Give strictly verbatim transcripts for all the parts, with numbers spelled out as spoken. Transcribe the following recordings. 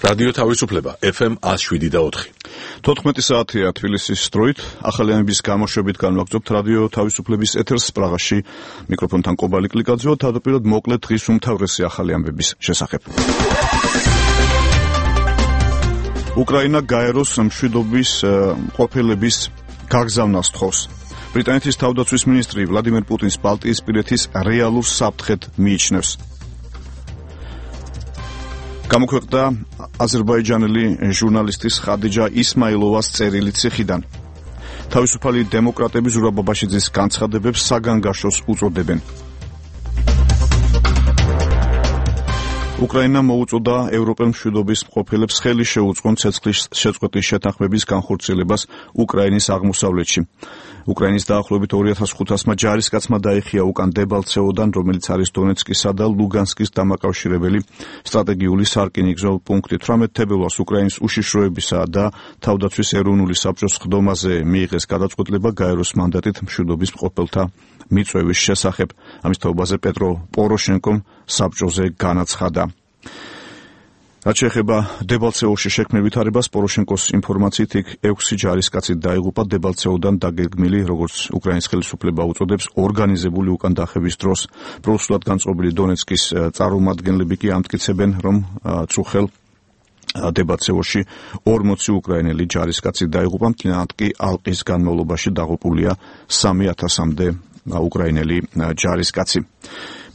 რადიო თავისუფლება ეფ ემ one oh seven და four. თოთხმეტი საათია თბილისის დროით. ახალიანების გამოშვებით განვაგრძობთ რადიო თავისუფლების ეთერს პრაღაში. მიკროფონთან კობალი კლიკაძე, თავდაპირველად მოკლედ დღის უმთავრესი ახალი ამბების შესახებ. უკრაინა გაეროს მშვიდობის ყოფილების გაგზავნას თხოვს. ბრიტანეთის თავდაცვის მინისტრი ვლადიმერ პუტინს ბალტიისპირეთის რეალურ საფრთხედ მიიჩნევს. გამოქვეყნდა აზერბაიჯანელი ჟურნალისტის ხადიჯა ისმაილოვას წერილი ციხიდან. თავისუფალი დემოკრატები ზურაბ აბაშიძის განცხადებებს საგანგაშოს უწოდებენ. უკრაინა მოუწოდა ევროპელ მშვიდობის მყოფელებს ხელი შეუწყონ ცეცხლის შეწყვეტის შეთანხმების განხორციელებას უკრაინის აღმოსავლეთში. უკრაინის დაახლოებით ორი ათას ხუთასმა ჯარისკაცმა დაიხია უკან დებალცეოდან, რომელიც არის დონეცკისა და ლუგანსკის დამაკავშირებელი სტრატეგიული სარკინიგზო პუნქტი. თვრამეტ თებერვალს უკრაინის უშიშროებისა და თავდაცვის ეროვნული საბჭოს ხდომაზე მიიღეს გადაწყვეტილება გაეროს მანდატით მშვიდობის მყოფელთა მიწვევის შესახებ. ამის თაობაზე პეტრო პოროშენკომ საბჭოზე განაცხადა. რაც შეეხება დებალცეოში შექმნილ ვითარებას, პოროშენკოს ინფორმაციით იქ ექვსი ჯარისკაცი დაიღუპა დებალცეოდან დაგეგმილი, როგორც უკრაინის ხელისუფლება უწოდებს, ორგანიზებული უკან დახევის დროს. პროსულად განწყობილი დონეცკის წარმომადგენლები კი ამტკიცებენ, რომ წუხელ დებალცეოში ორმოცი უკრაინელი ჯარისკაცი დაიღუპა, მთლიანად კი ალყის განმავლობაში დაღუპულია სამი ათასამდე უკრაინელი ჯარისკაცი.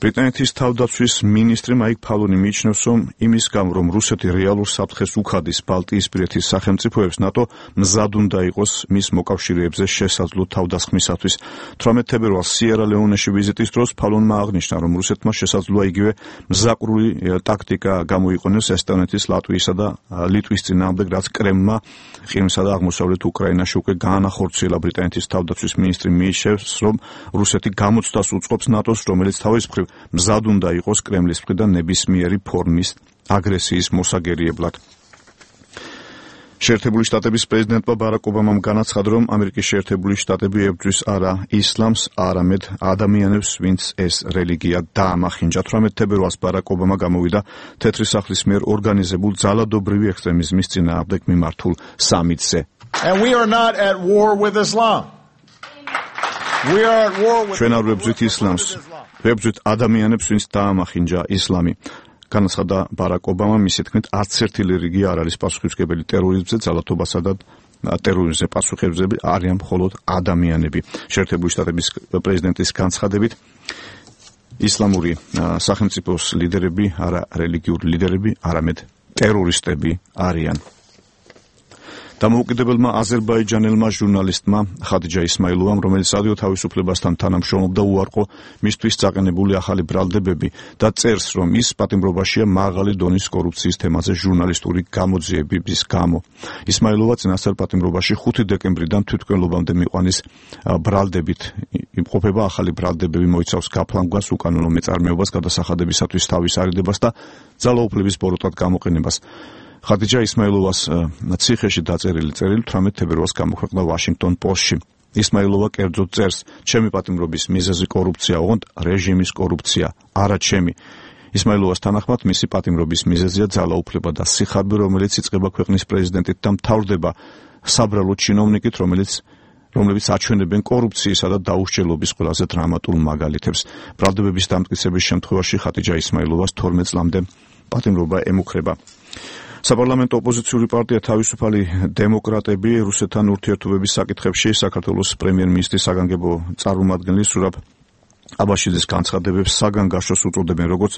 ბრიტანეთის თავდაცვის მინისტრი მაიკ ფალონი მიიჩნევს, რომ იმის გამო, რომ რუსეთი რეალურ საფრთხეს უხადის ბალტიისპირეთის სახელმწიფოებს, ნატო მზად უნდა იყოს მის მოკავშირეებზე შესაძლო თავდასხმისათვის. თვრამეტ თებერვალს სიერა-ლეონეში ვიზიტის დროს ფალონმა აღნიშნა, რომ რუსეთმა შესაძლოა იგივე მზაკრული ტაქტიკა გამოიყენოს ესტონეთის, ლატვიისა და ლიტვის წინააღმდეგ, რაც კრემლმა ყირიმსა და აღმოსავლეთ უკრაინაში უკვე გაანახორციელა. ბრიტანეთის თავდაცვის მინისტრი მიიჩნევს, რომ რუსეთი გამოცდას უწყობს ნატოს, რომელიც თავის მხრივ მზად უნდა იყოს კრემლის მხრიდან ნებისმიერი ფორმის აგრესიის მოსაგერიებლად. შეერთებული შტატების პრეზიდენტმა ბარაკ ობამამ განაცხადა, რომ ამერიკის შეერთებული შტატები ებრძვის არა ისლამს, არამედ ადამიანებს, ვინც ეს რელიგია დაამახინჯა. თვრამეტ თებერვალს ბარაკ ობამა გამოვიდა თეთრი სახლის მიერ ორგანიზებულ ძალადობრივი ექსტრემიზმის წინააღმდეგ მიმართულ სამიტზე. And we are not at war with Islam. We are at war with ჩვენ არ ვებრძვით ისლამს, ვებრძვით ადამიანებს, ვინც დაამახინჯა ისლამი. განაცხადა ბარაკ ობამა, მისი თქმით, არც ერთი რელიგია არ არის პასუხისმგებელი ტერორიზმზე, ძალადობასა და ტერორიზმზე პასუხისმგებელი არიან მხოლოდ ადამიანები. შეერთებული შტატების პრეზიდენტის განცხადებით, ისლამური სახელმწიფოს ლიდერები არა რელიგიური ლიდერები, არამედ ტერორისტები არიან. დამოუკიდებელმა აზერბაიჯანელმა ჟურნალისტმა ხადიჯა ისმაილოვამ, რომელიც რადიო თავისუფლებასთან თანამშრომლობდა, უარყო მისთვის წაყენებული ახალი ბრალდებები და წერს, რომ ის პატიმრობაშია მაღალი დონის კორუფციის თემაზე ჟურნალისტური გამოძიებების გამო. ისმაილოვა წინასწარ პატიმრობაში ხუთი დეკემბრიდან თვითმკვლელობამდე მიყვანის ბრალდებით იმყოფება. ახალი ბრალდებები მოიცავს გაფლანგვას, უკანონო მეწარმეობას, გადასახადებისათვის თავის არიდებას და ძალაუფლების ბოროტად გამოყენებას. ხადიჯა ისმაილოვას ციხეში დაწერილი წერილი თვრამეტ თებერვალს გამოქვეყნდა ვაშინგტონ პოსტში. ისმაილოვა კერძოდ წერს, ჩემი პატიმრობის მიზეზი კორუფცია, ოღონდ რეჟიმის კორუფცია, არა ჩემი. ისმაილოვას თანახმად მისი პატიმრობის მიზეზია ძალაუფლება და სიხარბე, რომელიც იწყება ქვეყნის პრეზიდენტით და მთავრდება საბრალო ჩინოვნიკით, რომელიც რომლებიც აჩვენებენ კორუფციისა და დაუსჯელობის ყველაზე დრამატულ მაგალითებს. ბრალდებების დამტკიცების შემთხვევაში ხადიჯა ისმაილოვას თორმეტ წლამდე პატიმრობა ემუქრება. საპარლამენტო ოპოზიციური პარტია თავისუფალი დემოკრატები რუსეთთან ურთიერთობების საკითხებში საქართველოს პრემიერ-მინისტრის საგანგებო წარმომადგენლის ზურაბ აბაშიძის განცხადებებს საგანგაშოს უწოდებენ, როგორც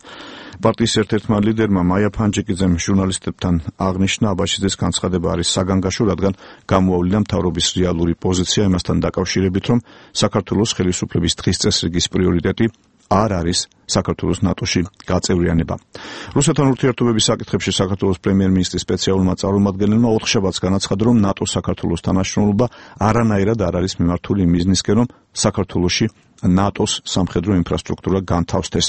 პარტიის ერთ-ერთმა ლიდერმა მაია ფანჯიკიძემ ჟურნალისტებთან აღნიშნა, აბაშიძის განცხადება არის საგანგაშო, რადგან გამოავლინდა მთავრობის რეალური პოზიცია იმასთან დაკავშირებით, რომ საქართველოს ხელისუფლების დღის წესრიგის პრიორიტეტი არ არის საქართველოს ნატოში გაწევრიანება. რუსეთთან ურთიერთობების საკითხებში საქართველოს პრემიერ-მინისტრის სპეციალურმა წარმომადგენელმა ოთხშაბათს განაცხადა, რომ ნატოს საქართველოს თანამშრომლობა არანაირად არ არის მიმართული იმ მიზნისკენ, რომ საქართველოში ნატოს სამხედრო ინფრასტრუქტურა განთავსდეს.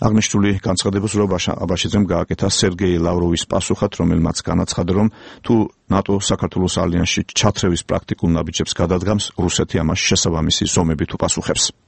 აღნიშნული განცხადებას ზურაბ აბაშიძემ გააკეთა სერგეი ლავროვის პასუხად, რომელმაც განაცხადა, რომ თუ ნატო საქართველოს ალიანსში ჩათრევის პრაქტიკულ ნაბიჯებს გადადგამს, რუსეთი ამას შესაბამისი ზომებით უპასუხებს.